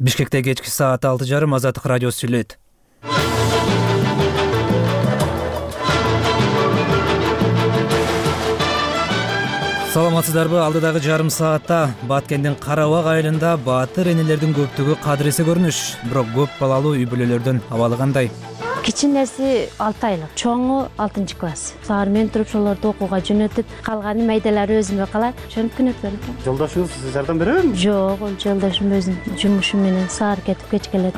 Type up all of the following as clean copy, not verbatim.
Бишкекте кечки саат 6:30 Азаттык радиосу сүйлөйт. Саламатсыздарбы? Алдыдагы жарым саатта Баткендин Карабак айылында баатыр энелердин көптүгү кадыресе көрүнүш. Бирок көп балалуу үй бүлөлөрдүн абалы кандай? Кичинеси 6 айлык, чоңу 6 класс. Саар мен туруп ошолорду окууга жөнөтүп, калганы майдалары өзүмө калат. Ошентип күнөтөт. Жолдошуңуз сизге жардам береби? Жок, жолдошум өзүнүн жумушу менен саар кетип кеч келет.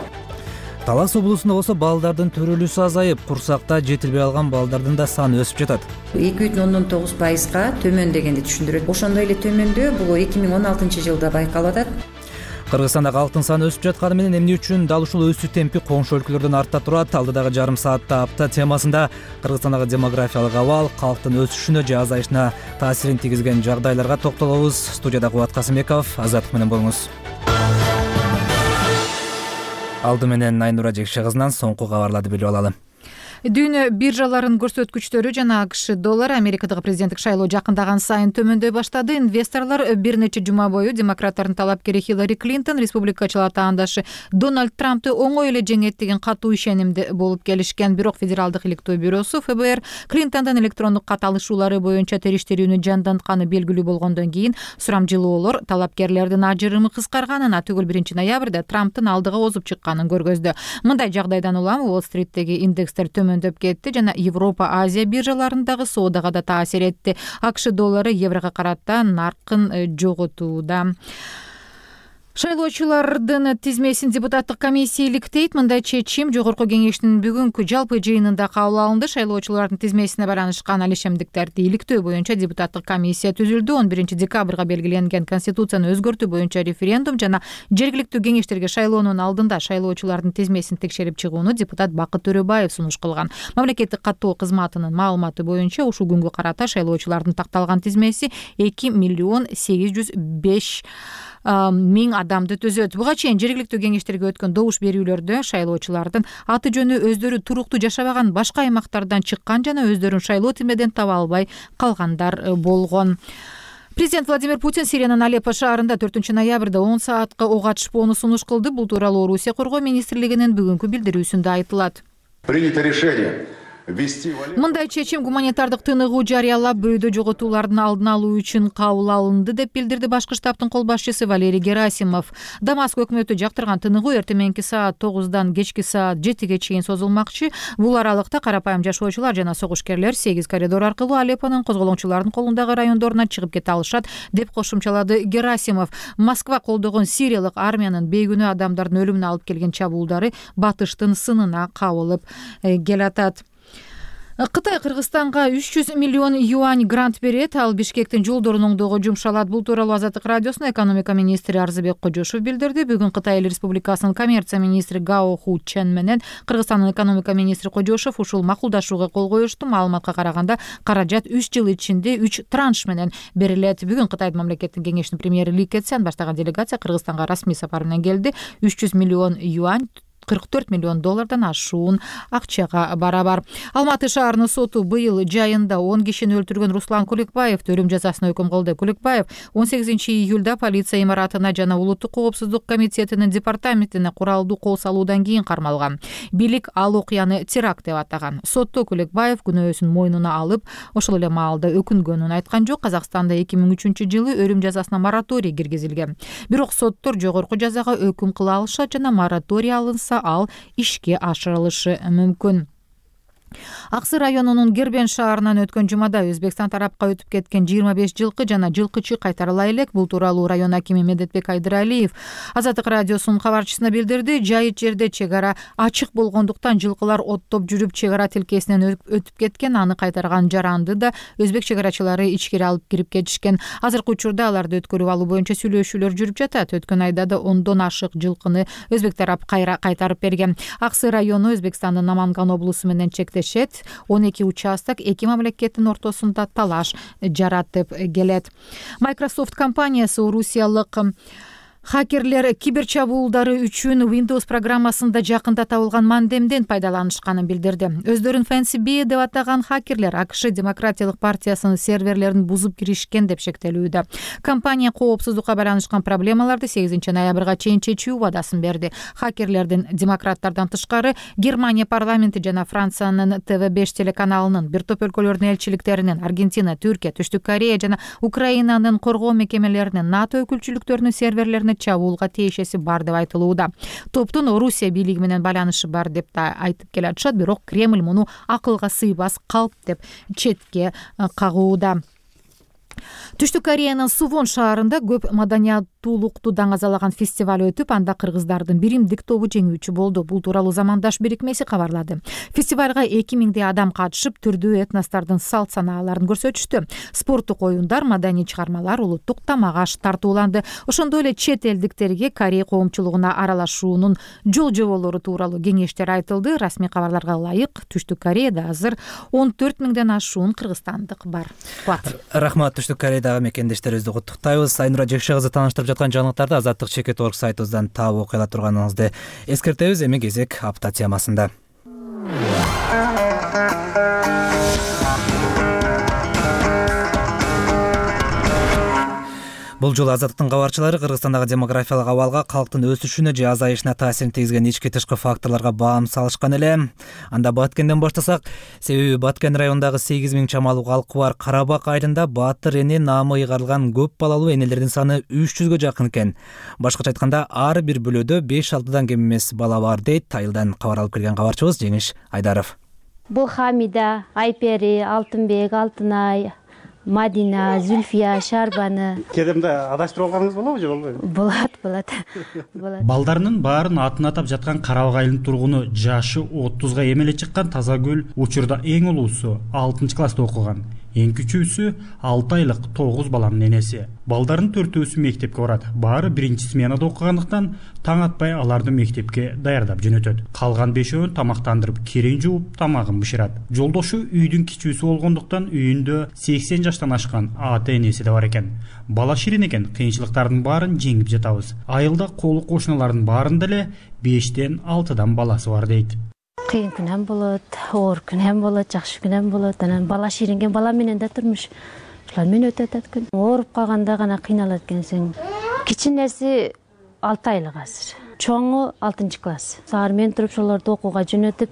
Талас облусунда болсо балдардын төрөлүүсү азайып, курсакта жетилбей алган балдардын да саны өсүп жатат. 2,9%га төмөн дегенди түшүндүрөт. Ошондой эле төмөндөө бул 2016-жылда байкалып атат. Кыргызстанда калктын саны өсүп жатканы менен эмне үчүн дал ушул өсүү темпи коңшу өлкөлөрдөн артта турат? Алдыдагы жарым саатта апта темасында Кыргызстандагы демографиялык абал, калктын өсүшүнө же азайышына таасирин тийгизген жагдайларга токтолобуз. Студияда Кубат Касымбеков, Азаттык менен болуңуз. Алды менен Айнура Жекше кызынан соңку кабарларды билип алалы. Дүйнө биржаларынын көрсөткүчтөрү жана АКШ доллары Америкадагы президенттик шайлоо жакындаган сайын төмөндөй баштады. Инвесторлор бир нече жума бою демократтардын талапкери Хиллари Клинтон республикачылар таандашы Дональд Трампты оңой эле жеңет деген катуу ишенимде болуп келишкен. Бирок Федералдык иликтөө бюросу ФБР Клинтондон электрондук кат алышуулары боюнча териштирүүнү жандантканы белгилүү болгондон кийин сурамжылоолор талапкерлердин ажырымы кыскарганына түгүл 1-ноябрда Трамптын алдыга озуп чыкканын көргөздү. Мындай жагдайдан улам Уолл-стриттеги индекстер төмөндөп кетти жана Европа, Азия биржаларындагы соодага да таасир этти. АКШ доллары еврого карата наркын жоготууда. Шайлоочулардын тизмесин депутаттык комиссия иликтейт. Мындай чечим жогорку кеңештин бүгүнкү жалпы жыйынында кабыл алынды. Шайлоочулардын тизмесине баранышкан алишемдиктерди иликтөө боюнча депутаттык комиссия түзүлдү. 11-декабрга белгиленген конституцияны өзгөртүү боюнча референдум жана жергиликтүү кеңештерге шайлоонун алдында шайлоочулардын тизмесин текшерип чыгууну депутат Бакыт Төрөбаев сунуш кылган. Мамлекеттик каттоо кызматынын маалыматы боюнча ушул күнгө карата шайлоочулардын такталган тизмеси 2,805,000 адамды түзөт. Буга чейин жергиликтүү кеңештерге өткөн добуш берүүлөрдө шайлоочулардын аты жөнү өздөрү туруктуу жашабаган башка аймактардан чыккан жана өздөрүн шайлоо тизмеден таба албай калгандар болгон. Президент Владимир Путин Сириянын Алеппо шаарында 4-ноябрда 10 саатка ок атышпоону сунуш кылды. Бул тууралуу Орусия коргоо министрлигинин бүгүнкү билдирүүсүндө айтылат. Принято решение. Мындай чечим гуманитардык тыныгуу жарыялап бөйдө жоготуулардын алдын алуу үчүн кабыл алынды деп билдирди башкы штабтын кол башчысы Валерий Герасимов. Дамаск өкмөтү жактырган тыныгуу эртең саат 9-дан кечки саат 7-ге чейин созулмакчы. Бул аралыкта карапайым жашоочулар жана согушкерлер 8 коридор аркылуу Алеппонун козголоңчулардын колундагы райондоруна чыгып кете алышат деп кошумчалады Герасимов. Москва колдогон сириялык армиянын бейгүнөө адамдардын өлүмүнө алып келген чабуулдары батыштын сынына кабылып келатат. Кытай Кыргызстанга 300 миллион юань грант берет. Ал Бишкектин жолдорун оңдоого жумшалат. Бул тууралуу Азаттык радиосуна экономика министри Арзыбек Кожошов билдирди. Бүгүн Кытай Эл Республикасынын коммерция министри Гао Ху Чен менен Кыргызстандын экономика министри Кожошов ушул макулдашууга кол коюшту. Маалыматка караганда, каражат 3 жыл ичинде 3 транш менен берилет. Бүгүн Кытайдын мамлекеттик кеңешинин премьери Ли Кэцян баштаган делегация Кыргызстанга расмий сапар менен келди. 300 миллион юань 44 миллион доллардан ашуун акчага барабар. Алматы шаарынын соту быйыл жайында 10 кишини өлтүргөн Руслан Куликбаевди өлүм жазасына өкүм кылды. Куликбаев 18-июлда полиция имаратына жана Улуттук коопсуздук комитетинин департаментине куралдуу кол салуудан кийин кармалган. Бийлик ал окуяны теракт деп атаган. Сотто Куликбаев күнөөсүн мойнуна алып, ошол эле маалда өкүнгөнүн айткан жок. Казакстанда 2003-жылы өлүм жазасына мораторий киргизилген. Бирок соттор жогорку жазага өкүм кыла алышат жана мораторий алынса ал ишке ашырылышы мүмкүн. Аксы районунун Гербен шаарынан өткөн жумада Өзбекстан тарапка өтүп кеткен 25 жылкы жана жылкычы кайтарыла элек. Бул тууралуу район акими Медетбек Айдыралиев Азаттык радиосунун кабарчысына билдирди. Жайыт жерде чек ара ачык болгондуктан жылкылар оттоп жүрүп чек ара тилкесинен өтүп кеткен. Аны кайтарган жаранды да өзбек чек арачылары ичкери алып кирип кетишкен. Азыркы учурда аларды өткөрүп алуу боюнча сүйлөшүүлөр жүрүп жатат. Өткөн айда да 10дон ашык жылкыны өзбек тарап кайтарып берген. Аксы району Өзбекстандын Наманган облусу менен чектешет. 12 участок эки мамлекеттин ортосунда талаш жаратып келет. Microsoft компаниясы орусиялык Хакерлер кибер чабуулдары үчүн Windows программасында жакында табылган мандемден пайдаланышканын билдирди. Өздөрүн FancyBee деп атаган хакерлер АКШ Демократиялык партиясынын серверлерин бузуп киришкен деп шектелүүдө. Компания коопсуздукка байланышкан проблемаларды 8 ноябрга чейин чечүү убадасын берди. Хакерлердин демократтардан тышкары Германия парламенти жана Франциянын TV5 телеканалынын бир топ өлкөлөрдүн элчиликтеринин, Аргентина, Түркия, Түштүк Корея жана Украинанын коргоо мекемелеринин, НАТО өкүлчүлүктөрүнүн серверлерине чабуулга тиешеси бар деп айтылууда. Топтун Орусия бийлиги менен байланышы бар деп да айтып келатышат, бирок Кремль муну акылга сыйбас калп деп четке кагууда. Түштүк Кореянын Сувон шаарында көп маданияттуулукту даңазалаган фестиваль өтүп, анда кыргыздардын биримдик тобу жеңүүчү болду. Бул тууралуу Замандаш бирикмеси кабарлады. Фестивалга 2000 адам катышып, түрдүү этностордун салт санааларын көрсөтүштү. Спорттук оюндар, маданий чыгармалар, улуттук тамак аш тартууланды. Ошондой эле чет элдиктерге Корея коомчулугуна аралашуунун жол жоболору тууралуу кеңештер айтылды. Расмий кабарларга ылайык, Түштүк Кореяда азыр 14 000ден ашуун кыргызстандык бар. Рахмат. Түштүк Кореядагы мекендештерибизди куттуктайбыз. Айнура Жекше кызы тааныштырып жаткан жаңылыктарды Азаттык Чекет.org сайтыбыздан таап окуй ала турганыңызды эскертебиз. Эми кезек апта темасында. Бул жолу Азаттыктын кабарчылары Кыргызстандагы демографиялык абалга, калктын өсүшүнө же азайышына таасирин тийгизген ички тышкы факторлорго баам салышкан эле. Анда Баткенден баштасак, себеби Баткен районундагы 8000 чамалуу калкы бар Карабак айылында Баатыр эне наамы ыйгарылган көп балалуу энелердин саны 300гө жакын экен. Башкача айтканда, ар бир бөлөдө 5-6 кем эмес бала бар дейт айылдан кабар алып келген кабарчыбыз Жеңиш Айдаров. Бул Хамида, Айпери, Алтынбек, Алтынай, Мадина, Зүлфия, Шарбаны. Кедемде адаштырып алганыңыз болобу же болбойбу? Болот. Балдарынын баарын атын атап жаткан Карабак айылынын тургуну жашы 30га эмеле чыккан Тазагүл учурда эң улуусу 6-класста окуган. Эң күчүүсү 6 айлык 9 баланын энеси. Балдарын 4-өөсү мектепке барат. Баары 1-сменада окугандыктан таң атпай аларды мектепке даярдап жөнөтөт. Калган 5-өөн тамактандырып, кирин жууп, тамагын бышырат. Жолдошу үйдүн кичүүсү болгондуктан үйүндө 80 жаштан ашкан ата-энеси да бар экен. Бала ширин экен, кыйынчылыктардын баарын жеңип жатабыз. Айылда колу кошуналардын баарында эле 5-тен 6дан баласы бар дейт. Кыйын күнөм болот, оор күнөм болот, жакшы күнөм болот. Анан бала ширинген бала менен да турмуш ушулар менен өтүп атат күн. Ооруп калганда гана кыйналат экенсиң. Кичинеси 6 айлык азыр. Чоңу 6-класс. Саар мен туруп ошолорду окууга жөнөтүп,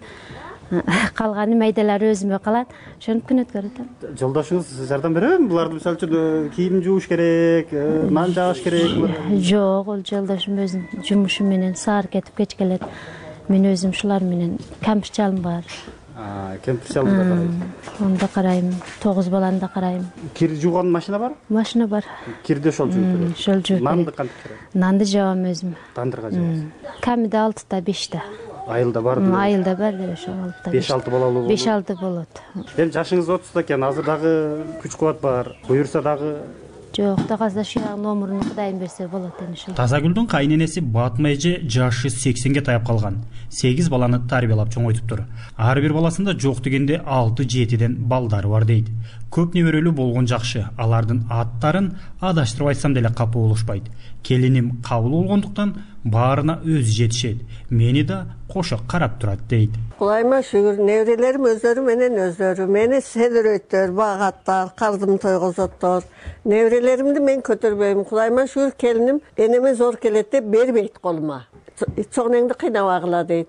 калганы майдалары өзүмө калат. Ошентип күн өткөрүп атам. Жолдошуңуз жардам береби? Буларды мисалы үчүн кийим жууш керек, нан жааш керек. Жок, ол жолдошум өзүнүн жумушу менен саар кетип кеч келет. Мен өзүм шулар менен кампирчалым бар. Кемпирчалды да карайсың. Аны да карайм, 9 баланы да карайм. Кир жууган машина бар? Машина бар. Кирди ошол жууп берет. Ошол жууп. Нанды кантип керет? Нанды жабам өзүм. Тандырга жабасың. Камида 6-та 5-та. Айылда бар деле. Айылда бар деле ошол 6-та. 5-6 балалуу болот. 5-6 болот. Эми жашыңыз 30да экен, азыр дагы күч кубат бар. Буюрса дагы Жок, дагы шуягы номурун Кудайым берсе болот эми ошол. Тазагүлдүн кайненеси Батма эже жашы 80ге таяп калган. 8 баланы тарбиялап чоңойтуптур. Ар бир баласында жок дегенде 6-7ден балдары бар дейт. Көп неберелүү болгон жакшы. Алардын аттарын адаштырып айтсам деле капа болушпайт. Келиним кабыл болгондуктан баарына өзү жетишет. Мени да кошо карап турат дейт. Кудайыма шүгүр, неберелерим өздөрү менен өздөрү мени седирөйттөр, багаттар, кардым тойгозоттор. Неберелеримди мен көтөрбөйм. Кудайыма шүгүр, келиним энеме зор келет деп бербейт колума. Чоңнеңди кыйнабагыла дейт.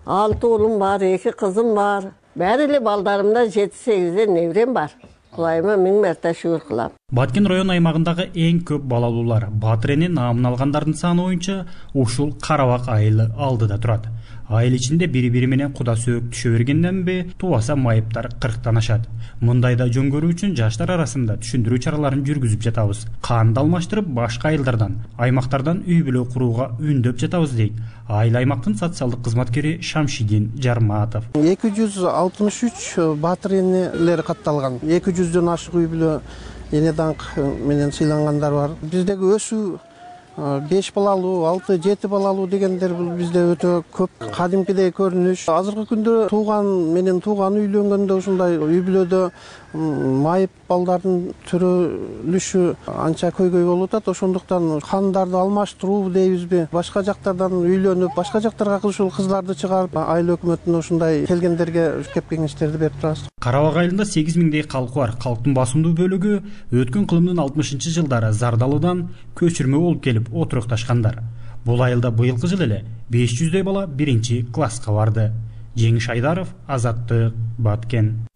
6 уулум бар, 2 кызым бар. Баары эле балдарымда 7-8ден неберем бар. Кудайыма миң мерте шүгүр кылам. Баткен район аймагындагы эң көп балалуулар Баатыр эне наамын алгандардын саны боюнча ушул Карабак айылы алдыда турат. Айыл ичинде бири-бири менен куда сөөк түшө бергенденби, тубаса майыптар 40тан ашат. Мындайда жөн көрүү үчүн жаштар арасында түшүндүрүү чараларын жүргүзүп жатабыз. Канды алмаштырып, башка айылдардан, аймактардан үй бүлө курууга үндөп жатабыз дейт айыл аймактын социалдык кызматкери Шамшидин Жарматов. 263 Баатыр энелер катталган. 200дөн ашык үй бүлө эне даңк менен сыйлангандар бар. Биздеги өсүү 5 балалуу, 6-7 балалуу дегендер бул бизде өтө көп. Кадимкидей көрүнүш. Азыркы күндө тууган менен тууган үйлөнгөндө ушундай үй бүлөдө майып балдардын төрөлүшү анча көйгөй болуп атат. Ошондуктан кандарды алмаштыруу дейбизби, башка жактардан үйлөнүп, башка жактарга ушул кыздарды чыгарып, айыл өкмөтүнө ушундай келгендерге кеп кеңештерди берип турабыз. Карабак айылында 8 миңдей калкы бар. Калктын басымдуу бөлүгү өткөн кылымдын 60-жылдары Зардалыдан көчүрмө болуп келип отурукташкандар. Бул айылда быйылкы жылы эле 500дөй бала 1-класска барды. Жеңиш Айдаров, Азаттык, Баткен.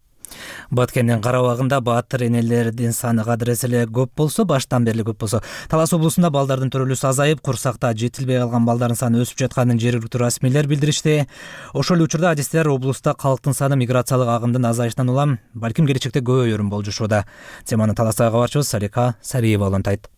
Баткендин карабагында баатыр энелердин саны кадырес эле көп болсо, баштан бери көп болсо, Талас облусунда балдардын төрөлүүсү азайып, курсакта жетилбей калган балдардын саны өсүп жатканын жергиликтүү расмийлер билдиришти. Ошол эле учурда адистер облуста калктын саны миграциялык агымдын азайышынан улам балким келечекте көбөйөрүн болжошууда. Теманы Таластагы кабарчыбыз Салика Сариева улантайт.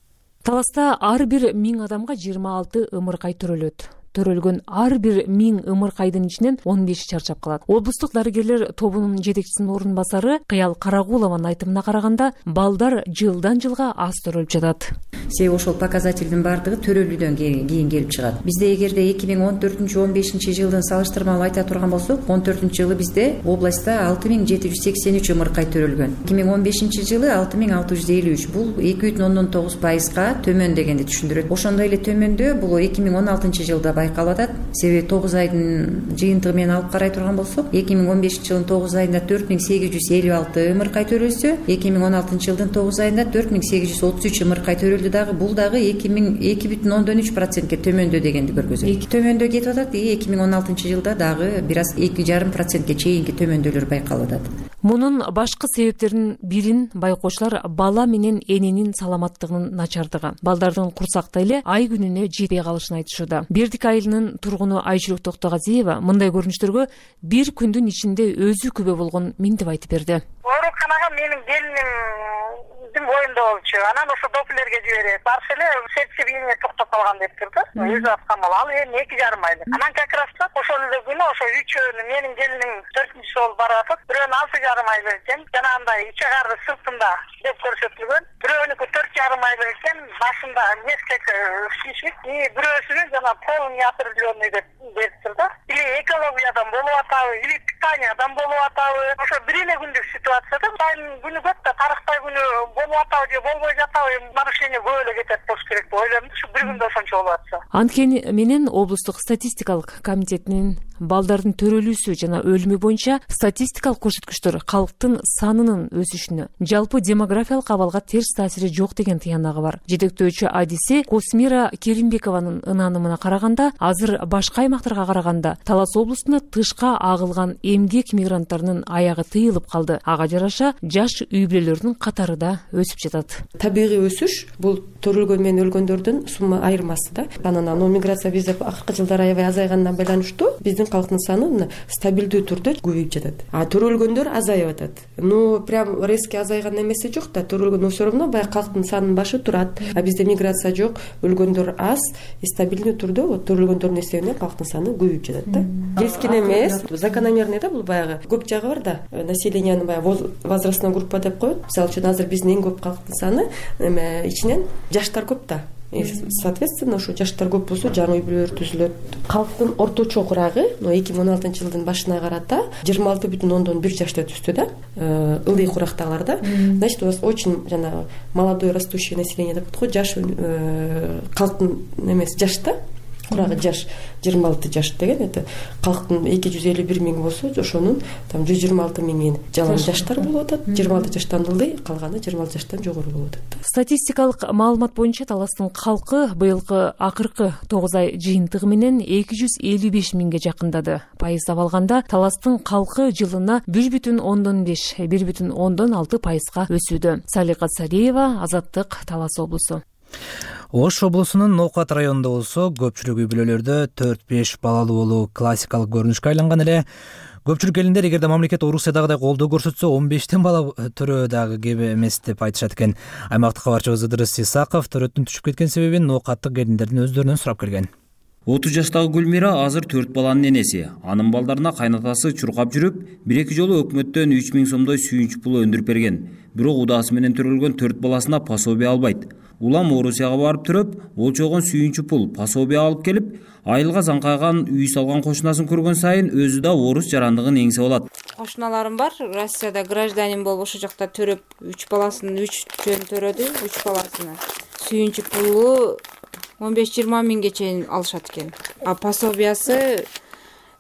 Таласта ар бир 1000 адамга 26 ымыркай төрөлөт. Төрөлгөн ар бир 1000 ымыркайдын ичинен 15 чарчап калат. Облустук дарыгерлер тобунун жетекчисинин орун басары Кыял Карагулованын айтымына караганда, балдар жылдан жылга аз төрөлүп жатат. Себеби ошол показательдин бардыгы төрөлүүдөн кийин келип чыгат. Бизде эгерде 2014-15 жылдын салыштырмалуу айта турган болсок, 14-жылы бизде областта 6783 ымыркай төрөлгөн. 2015 жылы 6653. Бул 2,9%га төмөн дегенди түшүндүрөт. Ошондой эле төмөндөө бул 2016 жылда байкалып атат. Себеби 9 айдын жыйынтыгы менен алып карай турган болсок, 2015 жылдын 9 айында 4856 ымыркай төрөлсө, 2016 жылдын 9 айында 4833 ымыркай төрөлдү. Бул дагы 2,3%ге төмөндөө дегенди көргөзөт. Төмөндөө кетип атат. 2016 жылда дагы бир аз 2,5%ге чейинки төмөндөөлөр байкалып атат. Мунун башкы себептеринин бирин байкоочулар бала менен эненин саламаттыгынын начардыгы, балдардын курсакта эле ай күнүнө жетпей калышын айтышууда. Бердик айылынын тургуну Айжүрөк Токтогазиева мындай көрүнүштөргө бир күндүн ичинде өзү күбө болгонун минтип айтып берди. Ооруканага менин келиним боюнда болчу. Анан ошо доплерге жиберет. Барса эле сердцебиение токтоп калган деп турду. Өзү аткан бала, ал эми 2,5 айлык. Анан как раз ошол эле күнү ошо үчөөнү менин келиним 4-чү болуп барып атат. Бирөөнү 6,5 айлык экен. Жанагындай ичегарды сыртында деп көрсөтүлгөн. Бирөөнүкү 4,5 айлык экен. Башында несколько шишик, бирөөсүнү жана полунеопределенный деп берип турду. Или экологиядан болуп атабы, или питаниядан болуп атабы. Ошо бир эле күндүк ситуацияда күнү көп да тарыхтай күнү болуп атабы же болбой жатабы, нарушение көп эле кетет болуш керек деп ойлойм. Ушу бир күндө ошончо болуп атса. Анткени менен облустук статистикалык комитетинин балдардын төрөлүүсү жана өлүмү боюнча статистикалык көрсөткүчтөр калктын санынын өсүшүнө, жалпы демографиялык абалга терс таасири жок деген тыянагы бар. Жетектөөчү адиси Космира Керимбекованын ынанымына караганда, азыр башка аймактарга караганда Талас облусунда тышка агылган эмгек мигранттарынын аягы тыйылып калды. Ага жараша жаш үй бүлөлөрдүн катары да өсүп жатат. Табигый өсүш бул төрөлгөн менен өлгөндөрдүн сумма айырмасы да. Анан миграция бизде акыркы жылдары аябай азайгандан байланыштуу биздин калктын саны стабилдүү түрдө көбөйүп жатат. А төрөлгөндөр азайып атат. Прям резко азайган эмеси жок да. Төрөлгөн все равно баягы калктын санынын башы турат. А бизде миграция жок, өлгөндөр аз, стабилдүү түрдө төрөлгөндөрдүн эсебинен калктын саны көбөйүп жатат да. Кескин эмес, закономерный да, бул баягы көп жагы бар да. Населениянын баягы возрастной группа деп коет. Мисалы үчүн азыр биздин эң көп калктын саны ичинен жаштар көп да. Соответственно, ошо жаштар көп болсо жаңы үй бүлөлөр түзүлөт. Калктын орточо курагы 2016 жылдын башына карата 26,1 жашта түздү да. Ылдый курактагылар да. Значит, у нас очень молодое растущее население деп коет, жаш калктын эмес жашта курагы жаш 26 жаш деген, это калктын 251 миң болсо, ошонун 126 миңи жалаң жаштар болуп атат. 26 жаштан ылдый, калганы 26 жаштан жогору болуп атат. Статистикалык маалымат боюнча Таластын калкы быйылкы акыркы 9 ай жыйынтыгы менен 255 миңге жакындады. Пайыздап алганда Таластын калкы жылына 1,5-1,6% өсүүдө. Салика Сариева, Азаттык, Талас облусу. Ош облусунун Ноокат районунда болсо көпчүлүк үй бүлөлөрдө 4-5 балалуу болуу классикалык көрүнүшкө айланган эле. Көпчүлүк элиндер эгерде мамлекет Орусиядагыдай колдоо көрсөтсө 15тен бала төрөө дагы кеп эмес деп айтышат экен. Аймактык кабарчыбыз Ыдырыс Исаков төрөттүн түшүп кеткен себебин ноокаттык элиндердин өздөрүнөн сурап келген. 30 жаштагы Гүлмира азыр 4 баланын энеси. Анын балдарына кайнатасы чуркап жүрүп, 1-2 жолу өкмөттөн 3 миң сомдой сүйүнч пул өндүрүп берген. Бирок удаасы менен төрөлгөн 4 баласына пособие албайт. улам Орусияга барып төрөп, болчогон сүйүнчү пул, пособие алып келип, айылга заңкайган үй салган кошунасын көргөн сайын өзү да орус жарандыгын эңсеп алат. Кошуналарым бар, Россияда гражданин болуп ошол жакта төрөп, 3 баласын 3 жөн төрөдү, 3 баласына. Сүйүнчү пулу 15-20 миңге чейин алышат экен. А пособиясы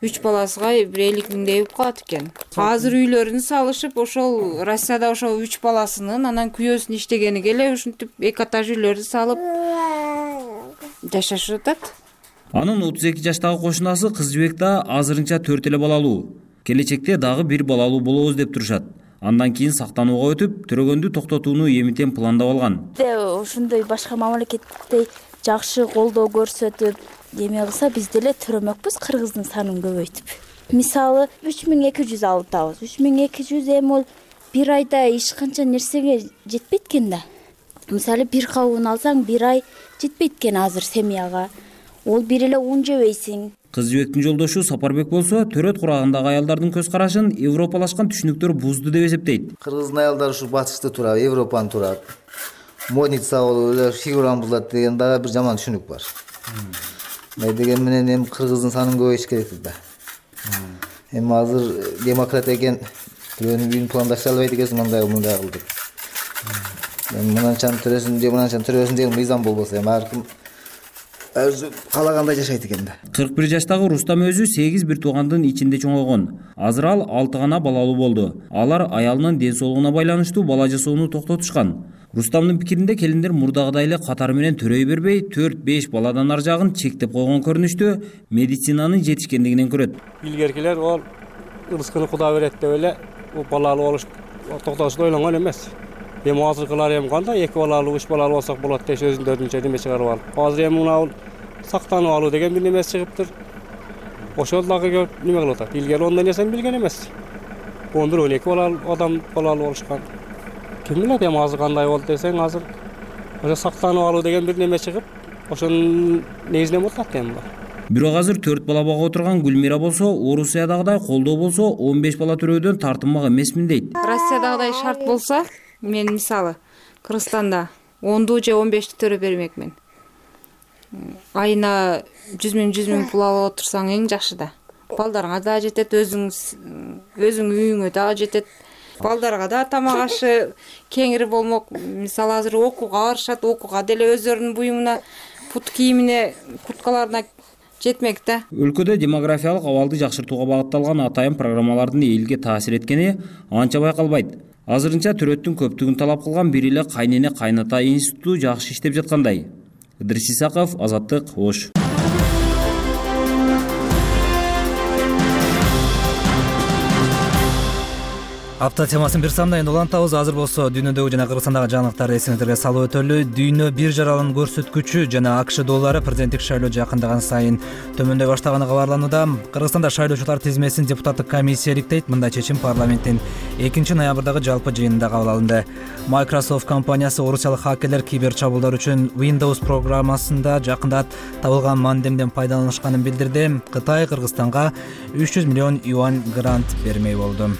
3 баласыга 1-50 миңдей болуп калат экен. Азыр үйлөрүн салышып, ошол Россияда ошол 3 баласынын анан күйөөсүн иштегени келе ушинтип 2 этаж үйлөрдү салып жашашып атат. Анын 32 жаштагы кошунасы кыз жибек да азырынча 4 эле балалуу. Келечекте дагы 1 балалуу болобуз деп турушат. Андан кийин сактанууга өтүп, төрөгөндү токтотууну эмитен пландап алган. Ошондой башка мамлекеттей жакшы колдоо көрсөтүп, эме кылса биз деле төрөмөкпүз кыргыздын санын көбөйтүп. Мисалы 3200 алып атабыз. 3200 эми ол бир айда эч канча нерсеге жетпейт экен да. Мисалы бир кабын алсаң бир ай жетпейт экен азыр семьяга. Ол бир эле ун жебейсиң. Кыз жибектин жолдошу Сапарбек болсо, төрөт курагындагы аялдардын көз карашын европалашкан түшүнүктөр бузду деп эсептейт. Кыргыздын аялдары ушу батышты турат, Европаны турат. Модница болуп эле фигуран булат деген дагы бир жаман түшүнүк бар. Деген менен эми кыргыздын санын көбөйтүш керек да. Эми азыр демократ экен, бирөөнүн үйүн пландаштыра албайт экенсиң, мындай кылдык. Эми мынанчан төрөсүн же мынанчан төрөсүн деген мыйзам болбосо, эми ар ким өзү каалагандай жашайт экен да. 41 жаштагы Рустам өзү 8 бир туугандын ичинде чоңойгон. Азыр ал 6 гана балалуу болду. Алар аялынын ден соолугуна байланыштуу бала жасоону токтотушкан. Рустамдын пикиринде келиндер мурдагыдай эле катары менен төрөй бербей, 4-5 баладан ар жагын чектеп койгон көрүнүштө медицинанын жетишкендигинен көрөт. Илгеркилер ол рызкыны Куда берет деп эле балалуу болуш токтотушты ойлонгон эмес. Эми азыркылар эми кандай 2 балалуу, 3 балалуу болсок болот деп өзүндөрүнчө неме чыгарып алып. Азыр эми мына сактанып алуу деген бир неме чыгыптыр. Ошол дагы көп неме кылып атат. Илгери ондай нерсени билген эмес. 11-12 балалуу адам балалуу болушкан. Ким билет эми азыр кандай болду десең, азыр ошо сактанып алуу деген бир неме чыгып, ошонун негизинен болуп атат эми. Бирок азыр 4 бала бага отурган Гүлмира болсо, Орусиядагыдай колдоо болсо 15 бала төрөөдөн тартынмак эмесмин дейт. Россиядагыдай шарт болсо, мен мисалы Кыргызстанда 10 же 15 төрөп бермекмин. Айына 100 миң пул алып отурсаң эң жакшы да. Балдарыңа да жетет, өзүң үйүңө да жетет. Балдарга да тамак ашы кеңири болмок. Мисалы азыр окууга барышат, окууга деле өздөрүнүн буюмуна, пут кийимине, курткаларына жетмек да. Өлкөдө демографиялык абалды жакшыртууга багытталган атайын программалардын элге таасир эткени анча байкалбайт. Азырынча төрөттүн көптүгүн талап кылган бир эле кайнене кайната институту жакшы иштеп жаткандай. Идрис Исаков, Азаттык, Ош. Апта темасын бир самдайын улантабыз. Азыр болсо дүйнөдөгү жана Кыргызстандагы жаңылыктарды эсиңиздерге салып өтөлү. Дүйнө бир жаралын көрсөткүчү жана АКШ доллары президенттик шайлоо жакындаган сайын төмөндөй баштаганы кабарланууда. Кыргызстанда шайлоочулар тизмесин депутаттык комиссия иликтейт. Мындай чечим парламенттин 2-ноябрдагы жалпы жыйынында кабыл алынды. Microsoft компаниясы орусиялык хакерлер кибер чабуулдар үчүн Windows программасында жакында табылган мандемден пайдаланышканын билдирди. Кытай Кыргызстанга 300 миллион юань грант бермей болду.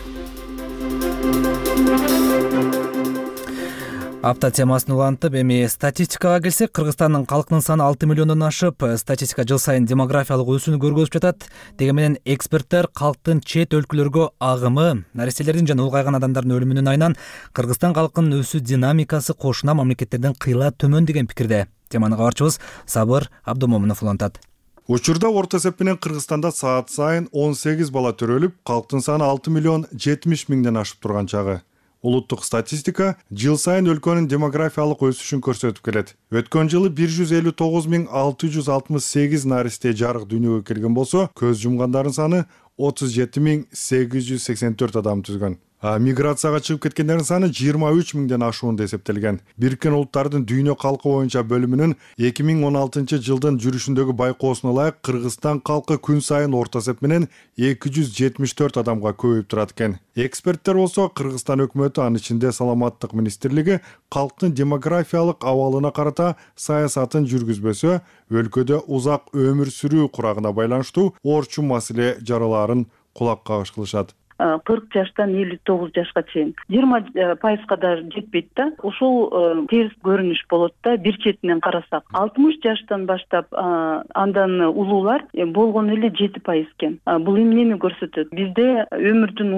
Апта темасын улантып, эми статистикага келсек, Кыргызстандын калкынын саны 6 миллиондон ашып, статистика жыл сайын демографиялык өсүүнү көргөзүп жатат. Деген менен эксперттер калктын чет өлкөлөргө агымы, наристелердин жана улгайган адамдардын өлүмүнүн айынан Кыргызстан калкынын өсүү динамикасы кошуна мамлекеттерден кыйла төмөн деген пикирде. Теманы кабарчыбыз Сабыр Абдумомунов улантат. Учурда орто эсеп менен Кыргызстанда саат сайын 18 бала төрөлүп, калктын саны 6 миллион 70 миңден ашып турган чагы. Улуттук статистика жыл сайын өлкөнүн демографиялык өсүшүн көрсөтүп келет. Өткөн жылы 159.668 наристе жарык дүйнөгө келген болсо, көз жумгандардын саны 37.884 адам түзгөн. Миграцияга чыгып кеткендердин саны 23 миңден ашуунда эсептелген. Бириккен Улуттардын дүйнө калкы боюнча бөлүмүнүн 2016 жылдын жүрүшүндөгү байкоосуна ылайык Кыргызстан калкы күн сайын орто эсеп менен 274 адамга көбөйүп турат экен. Эксперттер болсо Кыргызстан өкмөтү, анын ичинде Саламаттык министрлиги калктын демографиялык абалына карата саясатын жүргүзбөсө, өлкөдө узак өмүр сүрүү курагына байланыштуу орчун маселе жараларын кулак кагыш кылышат. 40 жаштан 59 жашка чейин 20% да жетпейт да. Ушул терс көрүнүш болот да. Бир четинен карасак 60 жаштан баштап андан улуулар болгону эле 7% экен. Бул эмнени көрсөтөт? Бизде өмүрдүн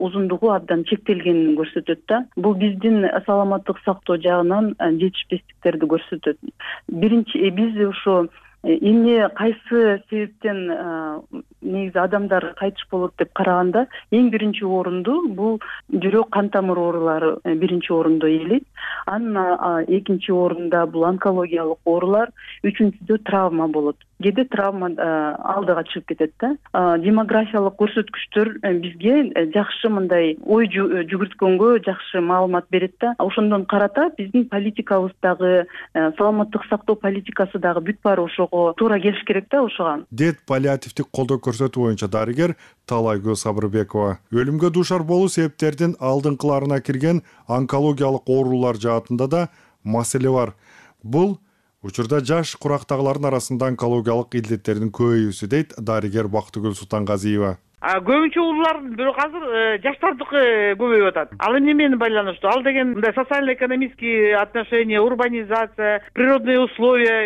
узундугу абдан чектелгенин көрсөтөт да. Бул биздин саламаттык сактоо жагынан жетишпестиктерди көрсөтөт. Биринчи биз ушу эмне кайсы себептен негизи адамдар кайтыш болот деп караганда эң биринчи орунду бул жүрөк кан тамыр оорулары биринчи орунду ээлейт. Анан экинчи орунда бул онкологиялык оорулар, үчүнчүдө травма болот. Кээде травма алдыга чыгып кетет да. Демографиялык көрсөткүчтөр бизге жакшы мындай ой жүгүрткөнгө жакшы маалымат берет да. Ошондон карата биздин политикабыздагы саламаттык сактоо политикасы дагы бүт баары ошого туура келиш керек да ошого. Дет паллиативдик колдоо көрсөтүү боюнча дарыгер Талайгүл Сабырбекова өлүмгө дуушар болуу себептердин алдыңкыларына кирген онкологиялык оорулар жаатында да маселе бар. Бул учурда жаш курактагылардын арасында онкологиялык илдеттердин көбөйүүсү дейт дарыгер Бактыгүл Султангазиева. Көбүнчө уулулардын бирок азыр жаштардыкы көбөйүп атат. Ал эмне менен байланыштуу? Ал деген мындай социально-экономический отношения, урбанизация, природные условия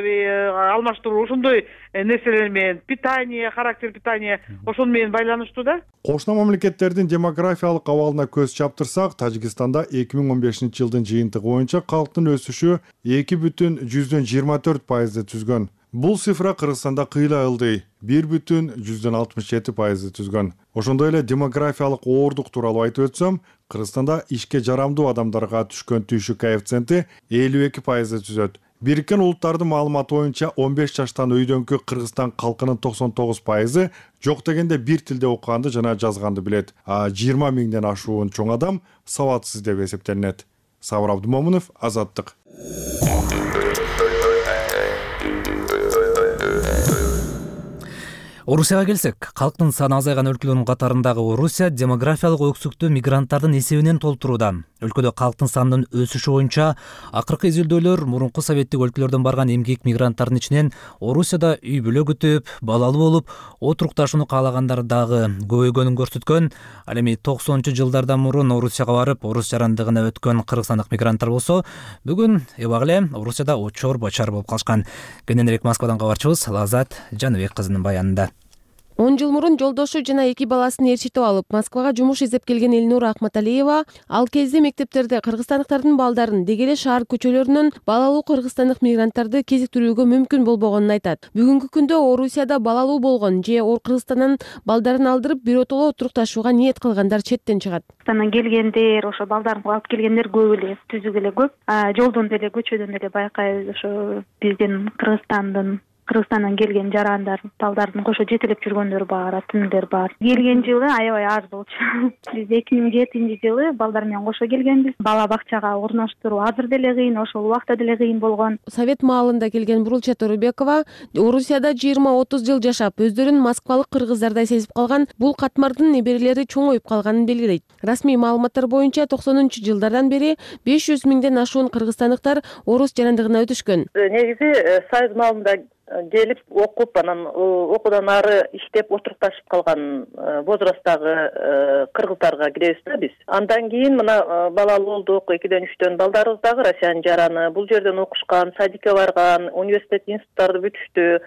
алмаштыруу ошондой нерселер менен, питание, характер питания ошону менен байланыштуу да. Кошуна мамлекеттердин демографиялык абалына көз чаптырсак, Тажикстанда 2015-жылдын жыйынтыгы боюнча калктын өсүшү 2,24% түзгөн. Бул цифра Кыргызстанда кыйла ылдый 1,67% түзгөн. Ошондой эле демографиялык оордук тууралуу айтып өтсөм, Кыргызстанда ишке жарамдуу адамдарга түшкөн түйшүк коэффициенти 52% түзөт. Бириккен Улуттардын маалыматы боюнча 15 жаштан өйдөнкү Кыргызстан калкынын 99% жок дегенде бир тилде окуганды жана жазганды билет. 20 миңден ашуун чоң адам сабатсыз деп эсептелинет. Сабыр Абдумомунов, Азаттык. Орусияга келсек, калктын саны азайган өлкөлөрдүн катарындагы Орусия демографиялык өксүктү мигранттардын эсебинен толтурууда. Өлкөдө калктын санынын өсүшү боюнча акыркы изилдөөлөр мурунку советтик өлкөлөрдөн барган эмгек мигранттардын ичинен Орусияда үй бүлө күтүп, балалуу болуп, отурукташууну каалагандар дагы көбөйгөнүн көрсөткөн. Ал эми 90-жылдардан мурун Орусияга барып, орус жарандыгына өткөн кыргызстандык мигранттар болсо, бүгүн эбагыле Орусияда очор бачар болуп калышкан. Кененирээк Москвадан кабарчыбыз Лазат Жаныбек кызынын баянында. 10 жыл мурун жолдошу жана 2 баласын ээрчитип алып, Москвага жумуш издеп келген Элнура Ахматалиева ал кезде мектептерде кыргызстандыктардын балдарын деги эле шаар көчөлөрүнөн балалуу кыргызстандык мигранттарды кезиктирүүгө мүмкүн болбогонун айтат. Бүгүнкү күндө Орусияда балалуу болгон же Кыргызстандан балдарын алдырып биротоло отурукташууга ниет кылгандар четтен чыгат. Кыргызстандан келгендер, ошо балдарын алып келгендер көп эле, түзүк эле көп. Жолдон деле, көчөдөн деле байкайбыз, ошо биздин Кыргызстандан келген жарандар, балдардын кошо жетелеп жүргөндөр бар, атындар бар. Келген жылы аябай аз болчу. Биз 2007-жылы балдар менен кошо келгенбиз. Бала бакчага орноштуруу азыр деле кыйын, ошол убакта деле кыйын болгон. Совет маалында келген Бурулча Торубекова Орусияда 20-30 жыл жашап, өздөрүн москвалык кыргыздардай сезип калган, бул катмардын неберелери чоңоюп калганын белгилейт. Расмий маалыматтар боюнча 90-жылдардан бери 500 миңден ашуун кыргызстандыктар орус жарандыгына өтүшкөн. Негизи Союз маалында келип окуп, анан окуудан ары иштеп отурукташып калган возрасттагы кыргыздарга киребиз да биз. Андан кийин мына балалуу болдук, 2-3 балдарыбыз дагы Россиянын жараны, бул жерден окушкан, садикке барган, университет, институттарды бүтүштү,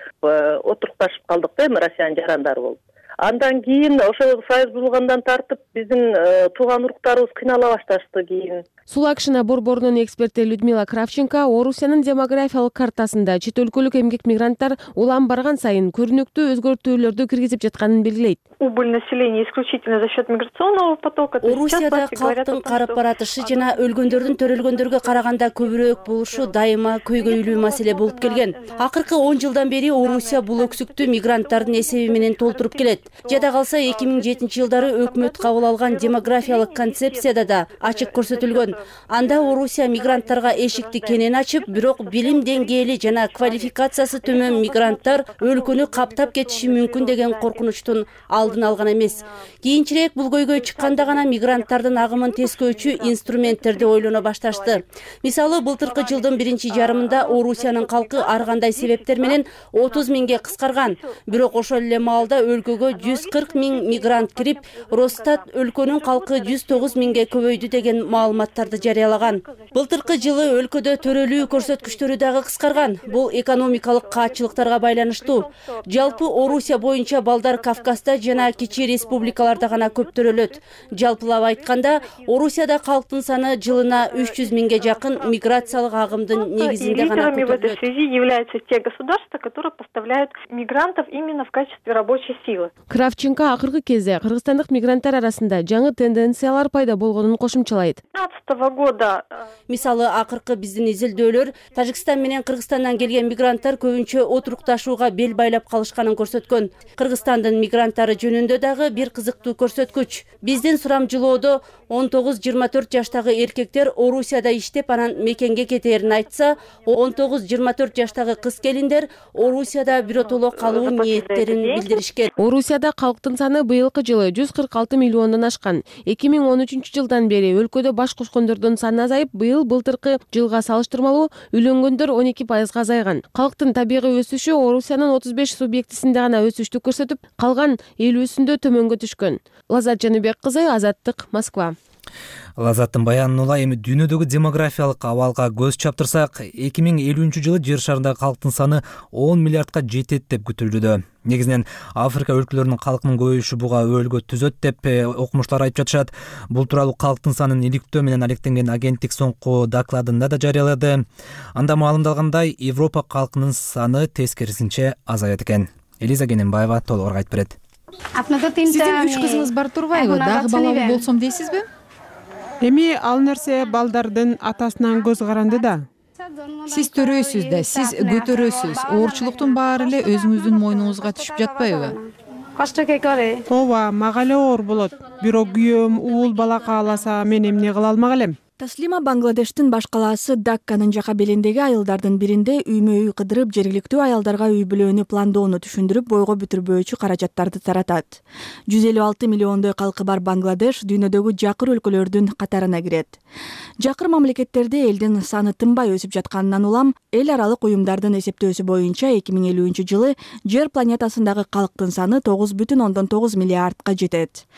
отурукташып калдык да, эми Россиянын жарандары болуп. Андан кийин ошо союз бузулгандан тартып биздин тууган уруктарыбыз кыйнала башташты кийин. Сулакшина борборунун эксперти Людмила Кравченко Орусиянын демографиялык картасында чет өлкөлүк эмгек мигранттар улам барган сайын көрүнүктүү өзгөртүүлөрдү киргизип жатканын белгилейт. Убыль населения исключительно за счет миграционного потока. Орусияда калктын карап баратышы жана өлгөндөрдүн төрөлгөндөргө караганда көбүрөөк болушу дайыма көйгөйлүү маселе болуп келген. Акыркы 10 жылдан бери Орусия бул өксүктү мигранттардын эсеби менен толтуруп келет. Жада калса 2007-жылдары өкмөт кабыл алган демографиялык концепцияда да ачык көрсөтүлгөн. Анда Орусия мигранттарга эшикти кенен ачып, бирок билим деңгээли жана квалификациясы төмөн мигранттар өлкөнү каптап кетиши мүмкүн деген коркунучтун алдын алдын алган эмес. Кийинчерээк бул көйгөй чыкканда гана мигранттардын агымын тескөөчү инструменттерди ойлоно башташты. Мисалы, былтыркы жылдын биринчи жарымында Орусиянын калкы ар кандай себептер менен 30 миңге кыскарган. Бирок ошол эле маалда өлкөгө 140 миң мигрант кирип, Росстат өлкөнүн калкы 109 миңге көбөйдү деген маалыматтарды жарыялаган. Былтыркы жылы өлкөдө төрөлүү көрсөткүчтөрү дагы кыскарган. Бул экономикалык каатчылыктарга байланыштуу. Жалпы Орусия боюнча балдар Кавказда жана кичи республикаларда гана көп төрөлөт. Жалпылап айтканда, Орусияда калктын саны жылына 300 миңге жакын миграциялык агымдын негизинде гана в этой связи являются те государства, которые поставляют мигрантов именно в качестве рабочей силы. Кравченко акыркы кезде кыргызстандык мигранттар арасында жаңы тенденциялар пайда болгонун кошумчалайт. 2015 года мисалы, акыркы биздин изилдөөлөр Тажикстан менен Кыргызстандан келген мигранттар көбүнчө отурукташууга бел байлап калышканын көрсөткөн. Кыргызстандын мигранттары жөнүндө дагы бир кызыктуу көрсөткүч. Биздин сурамжылоодо 19-24 жаштагы эркектер Орусияда иштеп анан мекенге кетээрин айтса, 19-24 жаштагы кыз келиндер Орусияда биротоло калуу ниеттерин билдиришкен. Орусияда калктын саны быйылкы жылы 146 миллиондон ашкан. 2013 жылдан бери өлкөдө баш кошкондордун саны азайып, быйыл былтыркы жылга салыштырмалуу үйлөнгөндөр 12%га азайган. Калктын табигый өсүшү Орусиянын 35 субъектисинде гана өсүштү көрсөтүп, калган 50-сүндө төмөнгө түшкөн. Лазат Жаныбек кызы, Азаттык, Москва. Лазаттын баянын улай. Эми дүйнөдөгү демографиялык абалга көз чаптырсак, 2050 жылы жер шарындагы калктын саны 10 миллиардка жетет деп күтүлүүдө. Негизинен Африка өлкөлөрүнүн калкынын көбөйүшү буга өбөлгө түзөт деп окумуштар айтып жатышат. Бул тууралуу калктын санын иликтөө менен алектенген агенттик соңку докладында да жарыялады. Анда маалымдалгандай, Европа калкынын саны тескерисинче азаят экен. Элиза Кененбаева толугураак айтып берет. Сиздин 3 кызыңыз бар турбайбы? Дагы балалуу болсом дейсизби? Эми ал нерсе балдардын атасынан көз каранды да. Сиз төрөйсүз да, сиз көтөрөсүз. Оорчулуктун баары эле өзүңүздүн мойнуңузга түшүп жатпайбы? Ооба, мага эле оор болот. Бирок күйөөм уул бала кааласа, мен эмне кыла алмак элем? Таслима Бангладештин баш калаасы Дакканын жака белиндеги айылдардын биринде үймө-үй кыдырып, жергиликтүү аялдарга үй бүлөнү пландоону түшүндүрүп, бойго бүтүрбөөчү каражаттарды таратат. 156 миллиондой калкы бар Бангладеш дүйнөдөгү жакыр өлкөлөрдүн катарына кирет. Жакыр мамлекеттерде элдин саны тынбай өсүп жатканынан улам, эл аралык уюмдардын эсептөөсү боюнча 2050 жылы жер планетасындагы калктын саны 9,9 миллиардка жетет.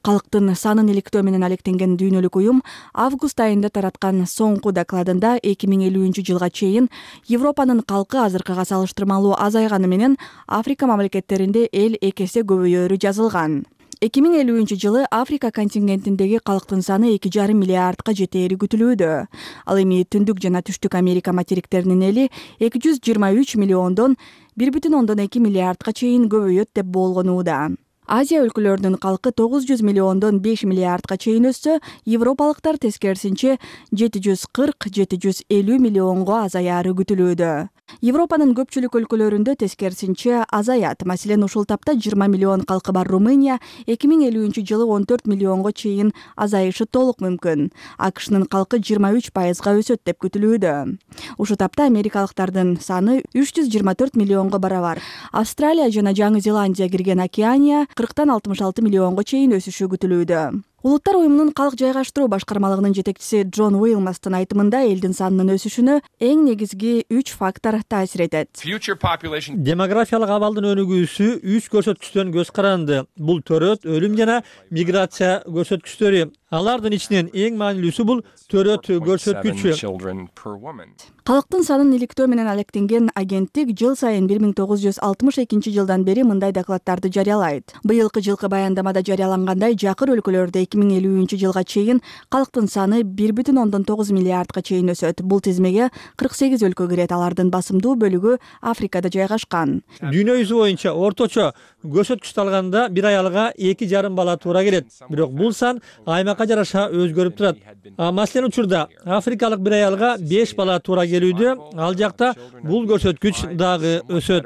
Калктын санын иликтөө менен алектенген дүйнөлүк уюм август айында тараткан соңку докладында 2050 жылга чейин Европанын калкы азыркыга салыштырмалуу азайганы менен Африка мамлекеттеринде эл 2 эсе көбөйөөрү жазылган. 2050 жылы Африка контингентиндеги калктын саны 2,5 миллиардка жетери күтүлүүдө. Ал эми Түндүк жана Түштүк Америка материктеринин эли 223 миллиондон 1,2 миллиардка чейин көбөйөт деп болгонууда. Азия өлкөлөрүнүн калкы 900 миллиондон 5 миллиардка чейин өссө, европалыктар тескерисинче 740-750 миллионго азаяры күтүлүүдө. Европанын көпчүлүк өлкөлөрүндө тескерисинче азаят. Маселен, ушул тапта 20 миллион калкы бар Румыния 2050 жылы 14 миллионго чейин азайышы толук мүмкүн. АКШнын калкы 23%га өсөт деп күтүлүүдө. Ушул тапта америкалыктардын саны 324 миллионго барабар. Австралия жана Жаңы Зеландия кирген Океания 40-66 миллионго чейин өсүшү күтүлүүдө. Улуттар уюмунун калк жайгаштыруу башкармалыгынын жетекчиси Джон Уилмастын айтымында элдин санынын өсүшүнө эң негизги 3 фактор таасир этет. Демографиялык абалдын өнүгүүсү 3 көрсөткүчтөн көз каранды. Бул төрөт, өлүм жана миграция көрсөткүчтөрү. Алардын ичинен эң маанилүүсү бул төрөт көрсөткүчү. Калктын санын иликтөө менен алектенген агенттик жыл сайын 1962 жылдан бери мындай докладдарды жарыялайт. Быйылкы жылкы баяндамада жарыялангандай, жакыр өлкөлөрдө 2050 жылга чейин калктын саны 1,9 миллиардка чейин өсөт. Бул тизмеге 48 өлкө кирет. Алардын басымдуу бөлүгү Африкада жайгашкан. Дүйнө жүзү боюнча орточо көрсөткүчтү алганда бир аялга 2,5 бала туура келет. Бирок бул сан аймакка жараша өзгөрүп турат. Маселен, учурда африкалык бир аялга 5 бала туура келүүдө, ал жакта бул көрсөткүч дагы өсөт.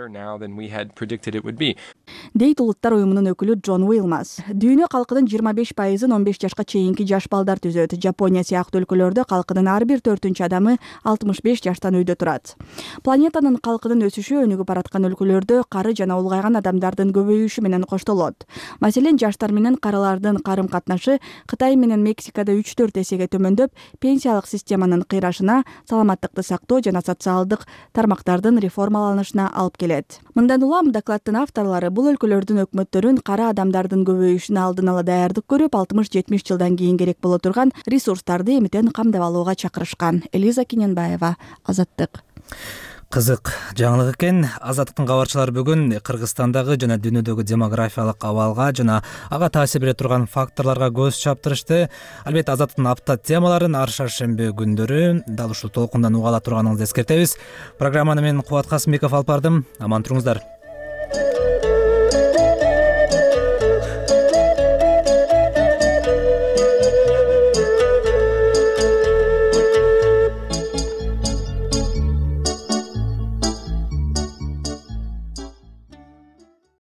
дейт Улуттар уюмунун өкүлү Джон Уилмас. Дүйнө калкынын 25%-ын 15 жашка чейинки жаш балдар түзөт. Жапония сыяктуу өлкөлөрдө калкынын ар бир 4-чү адамы 65 жаштан үйдө турат. Планетанын калкынын өсүшү өнүгүп бараткан өлкөлөрдө кары жана улгайган адамдардын көбөйүшү менен коштолот. Маселен, жаштар менен карылардын карым-катнашы Кытай менен Мексикада 3-4 эсеге төмөндөп, пенсиялык системанын кыйрашына, саламаттыкты сактоо жана социалдык тармактардын реформаланышына алып келет. Мындан улам докладдын авторлору бул өлкөлөрдүн өкмөттөрүн кара адамдардын көбөйүшүнө алдын ала даярдык көрүп, 60-70 жылдан кийин керек боло турган ресурстарды эмитен камдап алууга чакырышкан. Элиза Кененбаева, Азаттык. Кызык жаңылык экен. Азаттыктын кабарчылары бүгүн Кыргызстандагы жана дүйнөдөгү демографиялык абалга жана ага таасир бере турган факторлорго көз чаптырышты. Албетте Азаттыктын апта темаларын ар шаршемби күндөрү дал ушул толкундан уга ала турганыңызды эскертебиз. Программаны мен Кубат Касымбеков алып бардым. Аман туруңуздар.